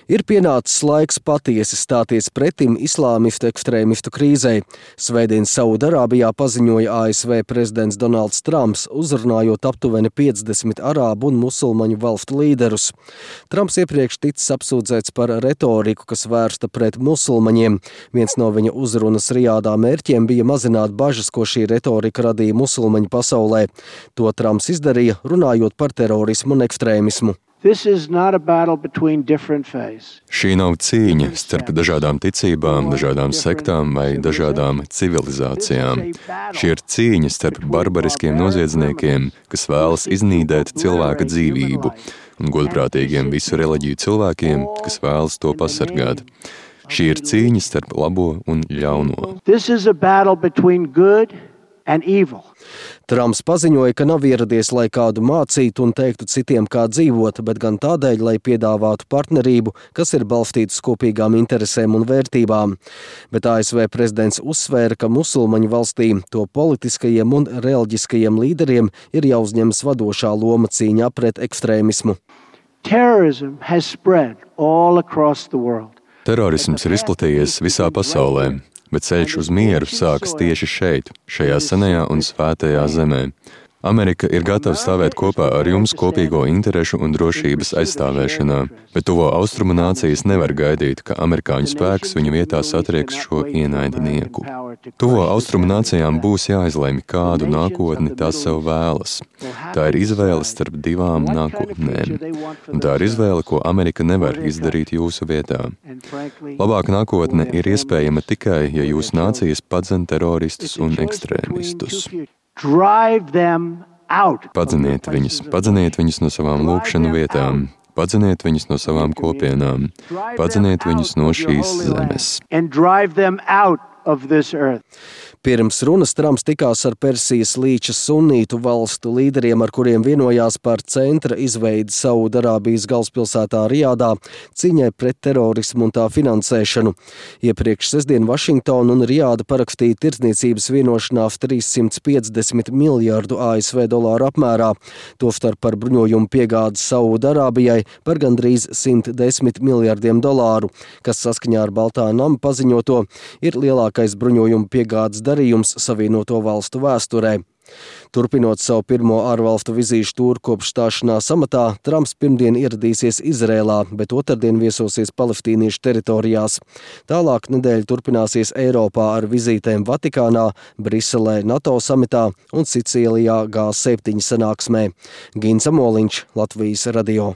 Ir pienācis laiks patiesi stāties pretim islāmistu ekstrēmistu krīzei. Svētdien Saudarābijā paziņoja ASV prezidents Donalds Trumps, uzrunājot aptuveni 50 arābu un musulmaņu valstu līderus. Trumps iepriekš ticis apsūdzēts par retoriku, kas vērsta pret musulmaņiem. Viens no viņa uzrunas Rijādā mērķiem bija mazināt bažas, ko šī retorika radīja musulmaņu pasaulē. To Trumps izdarīja, runājot par terorismu un ekstrēmismu. Šī nav cīņa starp dažādām ticībām, dažādām sektām vai dažādām civilizācijām. Šī ir cīņa starp barbariskiem noziedzniekiem, kas vēlas iznīdēt cilvēka dzīvību, un godprātīgiem visu reliģiju cilvēkiem, kas vēlas to pasargāt. Šī ir cīņa starp labo un ļauno. Trumps paziņoja, ka nav ieradies, lai kādu mācītu un teiktu citiem, kā dzīvot, bet gan tādēļ, lai piedāvātu partnerību, kas ir balstītas kopīgām interesēm un vērtībām. Bet ASV prezidents uzsvēra, ka musulmaņu valstīm, to politiskajiem un reliģiskajiem līderiem ir jāuzņemas vadošā loma cīņā pret ekstrēmismu. Terorisms ir izplatījies visā pasaulē. Bet ceļš uz mieru sākas tieši šeit, šajā senajā un svētajā zemē. Amerika ir gatava stāvēt kopā ar jums kopīgo interešu un drošības aizstāvēšanā, bet tuvo austrumu nācijas nevar gaidīt, ka amerikāņu spēks viņu vietā satrieks šo ienaidnieku. Tuvo austrumu nācijām būs jāizlemj, kādu nākotni tās sev vēlas. Tā ir izvēle starp divām nākotnēm, un tā ir izvēle, ko Amerika nevar izdarīt jūsu vietā. Labāka nākotne ir iespējama tikai, ja jūsu nācijas padzen teroristus un ekstrēmistus. Padzeniet viņus no savām lūgšanu vietām, padzeniet viņus no savām kopienām, padzeniet viņus no šīs zemes. Pirms runas Trumps tikās ar Persijas līča sunītu valstu līderiem, ar kuriem vienojās par centra izveidi Saudarābijas galvaspilsētā Rijādā cīņai pret terorismu un tā finansēšanu. Iepriekš sestdien Vašingtona un Rijāda parakstīja tirdzniecības vienošanās 350 miljārdu ASV dolāru apmērā, tostarp par bruņojumu piegādi Saudarābijai par gandrīz 110 miljārdiem dolāru, kas saskaņā ar Baltā nama paziņoto ir lielākais bruņojumu piegādes darījums Savienoto valstu vēsturē. Turpinot savu pirmo ārvalstu vizīšu tūru kopš stāšanās amatā, Trumps pirmdien ieradīsies Izrēlā, bet otrdien viesosies palestīniešu teritorijās. Tālāk nedēļa turpināsies Eiropā ar vizītēm Vatikānā, Briselē NATO samitā un Sicīlijā G7 sanāksmē. Gins Amoliņš, Latvijas radio.